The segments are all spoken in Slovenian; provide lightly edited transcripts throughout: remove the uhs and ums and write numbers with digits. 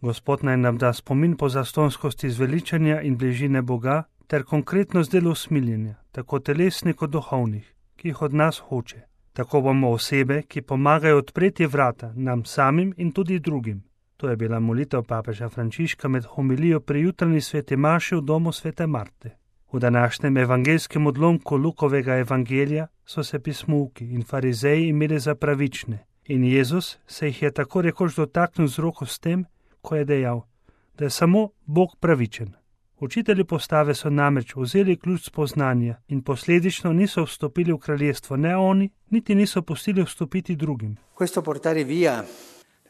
Gospod naj nam da spomin po zastonskosti zveličanja in bližine Boga ter konkretnost delu usmiljenja, tako telesnih kot duhovnih, ki jih od nas hoče. Tako bomo osebe, ki pomagajo odpreti vrata nam samim in tudi drugim. To je bila molitev papeža Frančiška med homilijo pri jutranji sveti maši v domu svete Marte. V današnjem evangelskem odlomku Lukovega evangelija so se pismouki in farizeji imeli za pravične in Jezus se jih je tako rekoč dotaknil z roko s tem, ko je dejal, da je samo Bog pravičen. Učitelji postave so namreč vzeli ključ spoznanja in posledično niso vstopili v kraljestvo ne oni, niti niso pustili vstopiti drugim. Questo portare via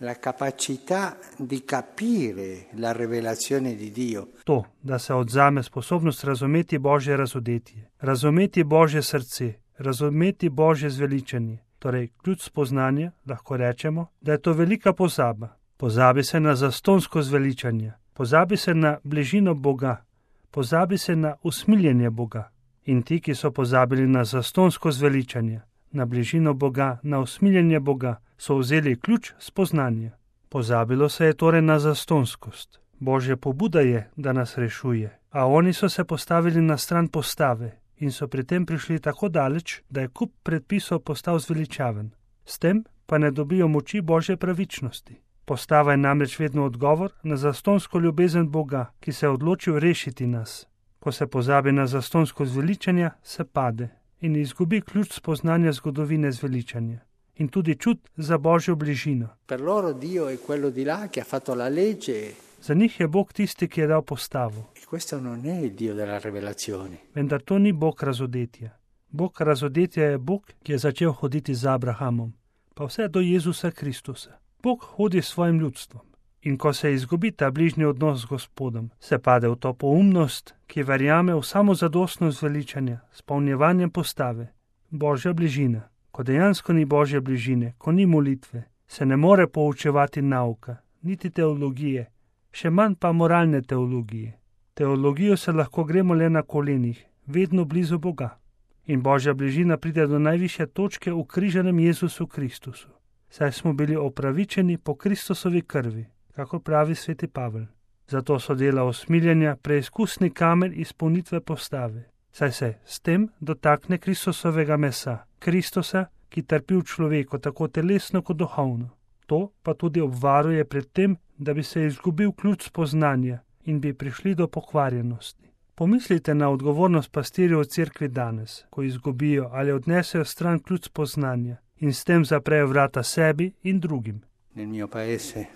la capacità di capire la rivelazione di Dio. To, da se odzame sposobnost razumeti Božje razodetje, razumeti Božje srce, razumeti Božje zveličanje, torej ključ spoznanja, lahko rečemo, da je to velika pozaba. Pozabi se na zastonsko zveličanje, pozabi se na bližino Boga, pozabi se na usmiljenje Boga. In ti, ki so pozabili na zastonsko zveličanje, na bližino Boga, na usmiljenje Boga, so vzeli ključ spoznanja. Pozabilo se je torej na zastonskost. Božja pobuda je, da nas rešuje, a oni so se postavili na stran postave in so pri tem prišli tako daleč, da je kup predpisov postal zveličaven. S tem pa ne dobijo moči Božje pravičnosti. Postava je namreč vedno odgovor na zastonsko ljubezen Boga, ki se je odločil rešiti nas. Ko se pozabi na zastonsko zveličanje, se pade in izgubi ključ spoznanja zgodovine zveličanja in tudi čut za Božjo bližino. Per loro Dio è quello di là che ha fatto la legge. Za njih je Bog tisti, ki je dal postavo. E questo non è il Dio della rivelazione. Vendar to ni Bog razodetja. Bog razodetja je Bog, ki je začel hoditi z Abrahamom, pa vse do Jezusa Kristusa. Bog hodi s svojim ljudstvom. In ko se izgubi ta bližnji odnos z Gospodom, se pade v to poumnost, ki verjame v samozadostno zveličanje, s polnjevanjem postave. Božja bližina. Ko dejansko ni Božje bližine, ko ni molitve, se ne more poučevati nauka, niti teologije, še manj pa moralne teologije. Teologijo se lahko gremo le na kolenih, vedno blizu Boga. In Božja bližina pride do najvišje točke v križanem Jezusu Kristusu. Saj smo bili opravičeni po Kristusovi krvi, kako pravi sveti Pavel. Zato so dela usmiljenja preizkusni kamen izpolnitve postave. Saj se s tem dotakne Kristusovega mesa, Kristusa, ki trpi v človeku tako telesno kot duhovno. To pa tudi obvaruje pred tem, da bi se izgubil ključ spoznanja in bi prišli do pokvarjenosti. Pomislite na odgovornost pastirjev v cerkvi danes, ko izgubijo ali odnesejo stran ključ spoznanja in s tem zaprejo vrata sebi in drugim. Nel mio paese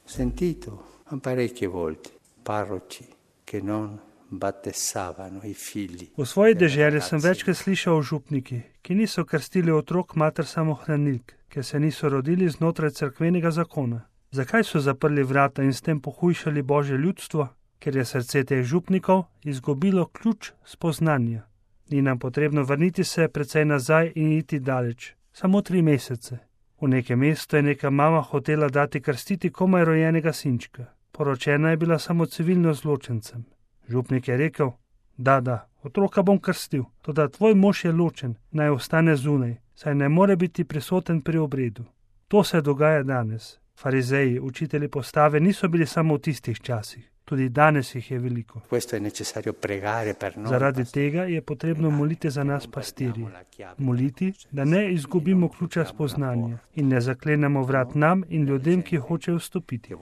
sentito parecchie volte parroci che non battesavano i figli. V svoji deželi sem večkrat slišal o župniki, ki niso krstili otrok mater samohranilk, ker se niso rodili znotraj cerkvenega zakona. Zakaj so zaprli vrata in s tem pohujšali Božje ljudstvo? Ker je srce teh župnikov izgubilo ključ spoznanja. Ni nam potrebno vrniti se precej nazaj in iti daleč. Samo 3 mesece. V nekem mestu je neka mama hotela dati krstiti komaj rojenega sinčka. Poročena je bila samo civilno zločencem. Župnik je rekel, da, otroka bom krstil, toda tvoj mož je ločen, naj ostane zunaj, saj ne more biti prisoten pri obredu. To se dogaja danes. Farizeji, učitelji postave, niso bili samo v tistih časih. Tudi danes jih je veliko. Zaradi tega je potrebno moliti za nas pastirji. Moliti, da ne izgubimo ključa spoznanja in ne zaklenemo vrat nam in ljudem, ki hočejo vstopiti.